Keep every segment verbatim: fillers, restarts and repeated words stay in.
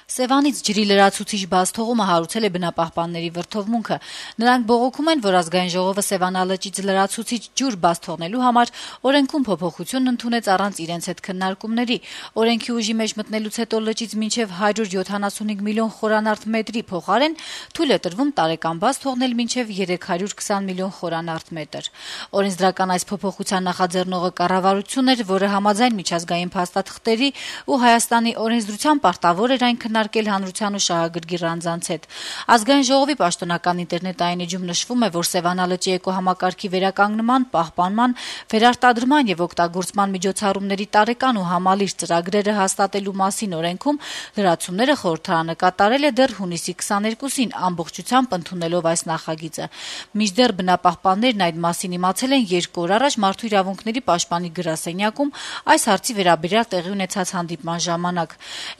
Սևանից ջրի լրացուցիչ բաց թողումը հարուցել է բնապահպանների վրդովմունքը։ Նրանք բողոքում են, որ ազգային ժողովը Սևանալճից լրացուցիչ ջուր բաց թողնելու համար օրենքում փոփոխություն ընդունեց առանց իրենց հետ քննարկումների։ Օրենքի ուժի մեջ մտնելուց հետո լճից մինչև հարյուր յոթանասունհինգ միլիոն խորանարդ մետրի փոխարեն թույլ է տրվում տարեկան բաց թողնել մինչև երեք հարյուր քսան միլիոն խորանարդ մետր։ Օրենսդրական այս փոփոխության նախաձեռնողը կառավարությունն էր, որը համաձայն միջազգային փաստաթղթերի ու Հայաստանի օրենսդրության պարտավոր էր այն քննարկել հանրության ու շահագրգիռ անձանց հետ։ Ազգային ժողովի պաշտոնական ինտերնետային էջում նշվում է, որ Սևանալճի էկոհամակարգի վերականգնման, պահպանման, վերարտադրման եւ օգտագործման միջոցառումների տարեկան ու համալիր ծրագրերը հաստատելու մասին օրենքում լրացումները խորհրդարանը կատարել է դեռ հունիսի քսաներկուսին ամբողջությամբ ընդունելով այս նախագիծը։ Մինչդեռ բնապահպաններն այդ մասին իմացել են երկու օր առաջ Մարդու իրավունքների պաշտպանի գրասենյակում այս հարցի վերաբերյալ տեղի ունեցած հանդիպման ժամանակ։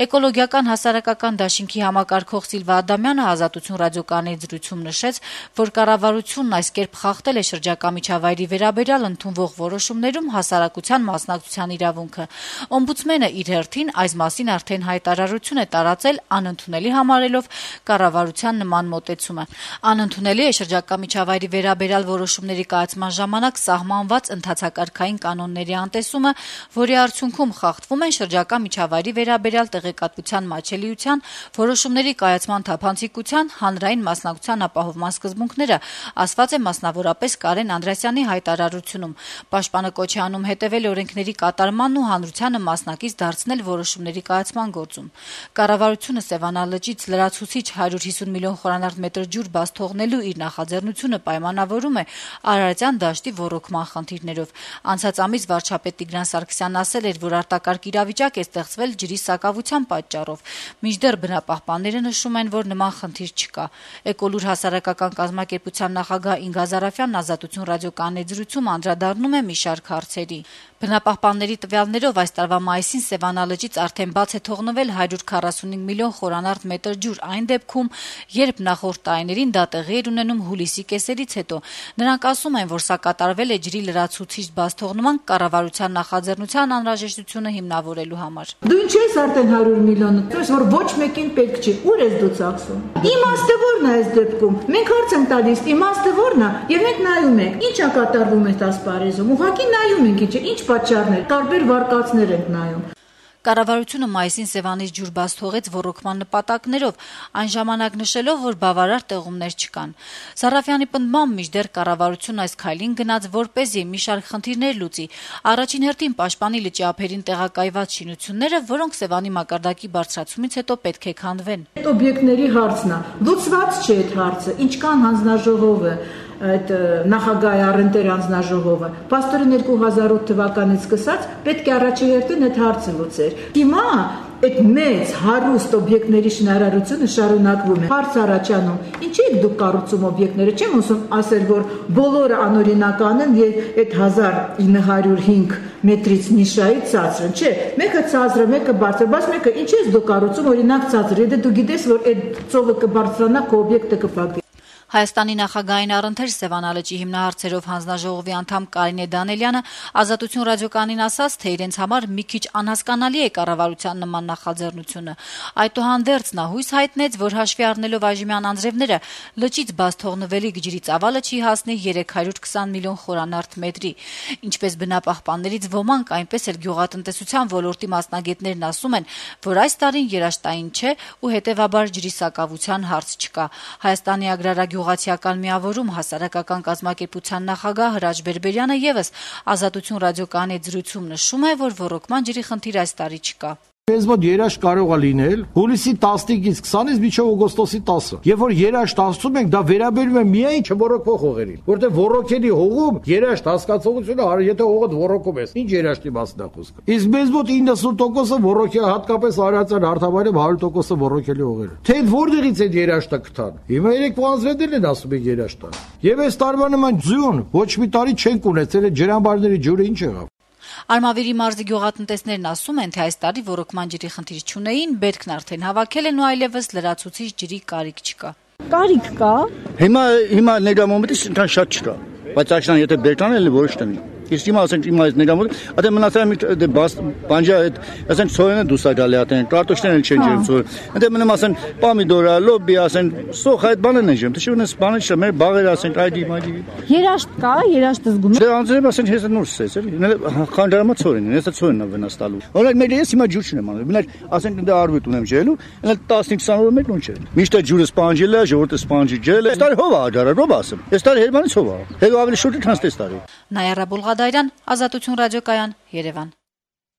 Էկոլոգիական հասարակական դաշինքի համակարգող Սիլվա Ադամյանը Ազատություն ռադիոկայանի զրույցում նշեց, որ կառավարությունն այս կերպ խախտել է շրջակա միջավայրի վերաբերյալ ընդունվող որոշումներում հասարակության մասնակցության իրավունքը։ Օմբուդսմենը իր հերթին այս մասին արդեն հայտարարություն է տարածել, անընդունելի համարելով կառավարության նման մոտեցումը։ Անընդունելի է շրջակա միջավայրի վերաբերյալ որոշումների կայացման ժամանակ սահմանված ընդհանցակարգային կանոնների անտեսումը, որի արդյունքում խախտվում են շրջակա միջավայրի վերաբերյալ տեղեկատվության մատչելիության, որոշումների կայացման թափանցիկության, հանրային մասնակցության ապահովման սկզբունքները, ասված է մասնավորապես Կարեն Անդրեասյանի հայտարարությունում։ Պաշտպանը կոչ է անում հետևել օրենքների կատարմանն ու հանրությանը մասնակից դարձնել որոշումների կայացման գործում։ Կառավարությունը Սևանալճից լրացուցիչ հարյուր հիսուն միլիոն խորանարդ մետր ջուր բաց թողնելու իր նախաձեռնությունը պայմանավորում է Արարատյան դաշտի ոռոգման խնդիրներով։ Անցած ամիս վարչապետ Տիգրան Սարգսյանն ասել էր, որ արտակարգ իրավիճակ է ստեղծվել ջրի սակավության պատճառով։ Մինչդեռ բնապահպանները նշում են, որ նման խնդիր չկա։ Էկոլուր հասարակական կազմակերպության նախագահ Ինգա Զարաֆյանն Ազատություն ռադիոկայանի զրույցում անդրադառնում է մի շարք հարցերի։ Բնապահպանների տվյալներով այս տարվա մայիսին Սևանալճից արդեն բաց է թողնվել հարյուր քառասունհինգ միլիոն խորանարդ մետր ջուր այն դեպքում, երբ նախորդ տարիներին դա տեղի էր ունենում հուլիսի կեսերից հետո։ Նրանք ասում են, որ սա կատարվել է ջրի լրացուցիչ բաց թողնման կառավարության նախաձեռնության անհրաժեշտությունը հիմնավորելու համար։ Դու ինչ ես արդեն հարյուր միլիոն, ասես որ ոչ մեկին պետք չի։ Ուր ես դու ծախսում։ Իմաստը ո՞րն է այս դեպքում։ Մենք հարց ենք տալիս, իմաստը ո՞րն է, եւ մենք նայում ենք։ Ինչ է կատարվում այդ ասպարեզում։ Ուղղակի նայում ենք, ինչ է, ինչ պատճառներ, տարբեր վարկածներ ենք նայում։ Կառավարությունը մայիսին Սևանից ջուր բաց թողեց ոռոգման նպատակներով, այն ժամանակ նշելով, որ բավարար տեղումներ չկան։ Զարաֆյանի պնդմամբ մինչդեռ կառավարությունն այս քայլին գնաց, որպեսզի մի շարք խնդիրներ լուծի։ Առաջին հերթին պաշտպանի լճի ափերին տեղակայված շինությունները, որոնք Սևանի մակարդակի բարձրացումից հետո պետք է քանդվեն։ Այդ օբյեկտների հարցն է։ Լուծված չէ այդ հարցը։ Ինչքան հանձնաժողովը այդ նախագահի առընտեր անձնաժողովը պաստորեն երկու հազար ութ թվականից սկսած պետք է առաջերտին այդ հարցը լուծեր։ Հիմա այդ մեծ հարուստ օբյեկտների շինարարությունը շարունակվում է։ Հարց առաջանում, ինչի եք դուք կառուցում օբյեկտները։ Չեմ ուզում ասել, որ բոլորը անօրինական են եւ այդ հազար ինը հարյուր հինգ մետրից նիշայից ցածր են։ Չէ, մեկը ցածր է, մեկը բարձր, բայց մեկը ինչ ես դու կառուցում օրինակ ցածր։ Եթե դու գիտես, որ այդ ծովը կբարձրանա, քո օբյեկտը կփակվի։ Հայաստանի նախագահային առընթեր Սևանալճի հիմնահարցերով հանձնաժողովի անդամ Կարինե Դանելյանը Ազատություն ռադիոկայանին ասաց, թե իրենց համար մի քիչ անհասկանալի է կառավարության նման նախաձեռնությունը։ Այդուհանդերձ նա հույս հայտնեց, որ հաշվի առնելով այժմյան անձրևները լճից բաց թողնվելիք ջրի ծավալը չի հասնի երեք հարյուր քսան միլիոն խորանարդ մետրի։ Ինչպես բնապահպաններից ոմանք, այնպես էլ գյուղատնտեսության ոլորտի մասնագետներն ասում են, որ այս տարին երաշտային չէ ու հետևաբար ջրի սակավության հարց չկա։ Հայաստանի ագրարագյուղ Գյուղացիական միավորում հասարակական կազմակերպության նախագահ Հրաչ Բերբերյանը եւս Ազատություն ռադիոկայանի զրույցում նշում է, որ ոռոգման ջրի խնդիր այս տարի չկա։ Մեզ մոտ երաշտ կարող է լինել հուլիսի տասնինից քսանից մինչև օգոստոսի տասը։ Երբ որ երաշտ ասում ենք, դա վերաբերում է միայն չոռոգվող հողերին, որտեղ ոռոգելի հողում երաշտ հասկացողությունը, եթե հողը ոռոգում ես, ինչ երաշտի մասն է խոսքը։ Իսկ մեզ մոտ իննսուն տոկոսը ոռոգել, հատկապես Արարատյան հարթավայրում հարյուր տոկոսը ոռոգելի հողեր։ Թե որտեղից այդ երաշտը կթան։ Հիմա երեք անձրևներն են ասում են երաշտը։ Եվ այս տարվա նման ձյուն ոչ մի տարի չենք ունեցել, այդ ջրամբարների ջուրը ինչ եղավ։ Արմավիրի մարզի գյուղատնտեսներն ասում են, թե այս տարի ոռոգման ջրի խնդիր չունեին, բերքն արդեն հավաքել են ու այլևս լրացուցիչ ջրի կարիք չկա։ Կարիք կա։ Հիմա հիմա ներկայ մոմենտից այնքան շատ չկա, բայց աշնան եթե բերքան էլ ոչ տնի։ Իսկ հիմա ասենք հիմա այդ ներամոտ, այդե մնացած մի դե բանջա այդ ասենք սոյանը դուսա գալի ատեն, կարտոշներն չեն ջերմ սոյ։ Այդե մնամ ասեն պամիդորա, լոբի ասեն, սոխ այդ բաներն են ջերմ։ Դե շունես բանը չէ, մեր բաղեր ասենք այդի մայդի։ Երաշտ կա, երաշտը զգում եք։ Դե անձրև ասենք հեսա նուրս էս, էլի։ Խանջարամա ծորին, հեսա ծորին է վնաս տալու։ Օրինակ մեր ես հիմա ջուր չունեմ անում։ Մենակ ասենք դե արվետ ունեմ ջելու, այնա տասնհինգ քսան օրը մեկ նույն չէ։ Միշտ ջուրը սպանջել է, ժողովուրդը սպանջի ջել է։ Այս տարի հով է աջարը, ռոբ ասեմ։ Այս տարի հերմանից հով է։ Հետո ավելի շուտ է քան այս տարի։ Նայարա Բուլղադարյան, Ազատություն ռադիոկայան, Երևան։